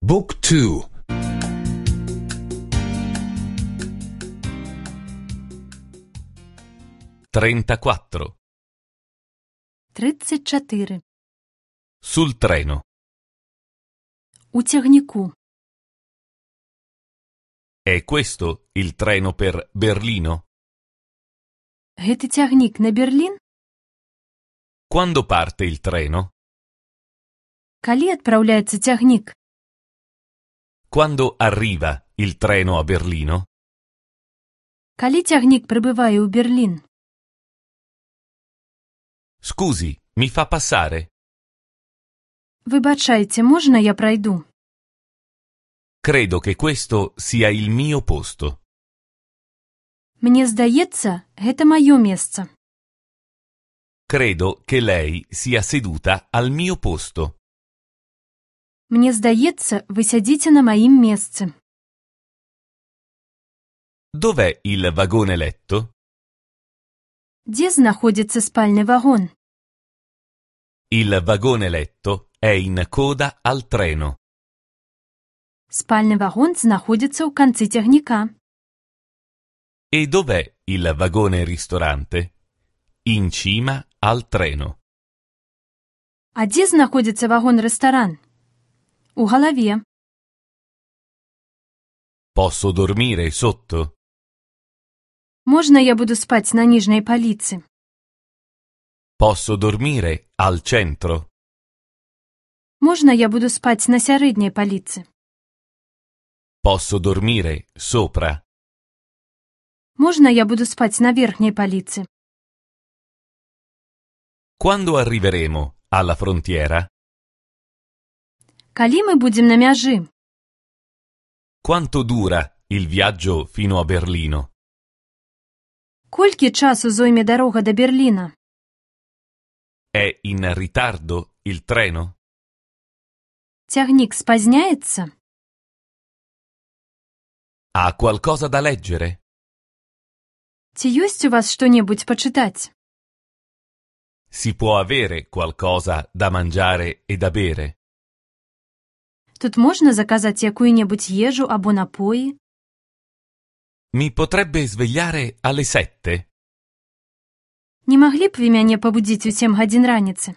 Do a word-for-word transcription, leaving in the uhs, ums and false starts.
Book two. trentaquattro. тридцать чотири. Sul treno. У тягніку. È questo il treno per Berlino? Гэты цягнік на Берлін? Quando parte il treno? Калі адпраўляецца цягнік? Quando arriva il treno a Berlino? Калі цягнік прыбывае ў Берлін? Scusi, mi fa passare? Выбачайце, можна я прайду? Credo che questo sia il mio posto. Мне здаецца, гэта маё месца. Credo che lei sia seduta al mio posto. Мне здаецца, вы сядзіце на маім месцы. Dov'è il vagone letto? Дзе знаходзіцца спальны вагон? Il vagone letto è in coda al treno. Спальны вагон знаходзіцца ў канцы цягніка. E dov'è il vagone ristorante? In cima al treno. А дзе знаходзіцца вагон-рэстаран? У галаве. Posso dormire sotto? Можна я буду спаць на ніжняй паліцы? Posso dormire al centro? Можна я буду спаць на сярэдняй паліцы? Posso dormire sopra? Можна я буду спаць на верхняй паліцы? Quando arriveremo alla frontiera? Калі мы будзем на мяжы? Quanto dura il viaggio fino a Berlino? Колькі часу зойме дарога да Берліна? È in ritardo il treno? Цягнік спазняецца? Ha qualcosa da leggere? Ці ёсць у вас што-небудзь пачытаць? Si può avere qualcosa da mangiare e da bere? Тут можна заказаць якую-небудзь ежу або напоі? Mi potrebbe svegliare alle sette? Не маглі б вы мяне пабудзіць у сем гадзін раніцы?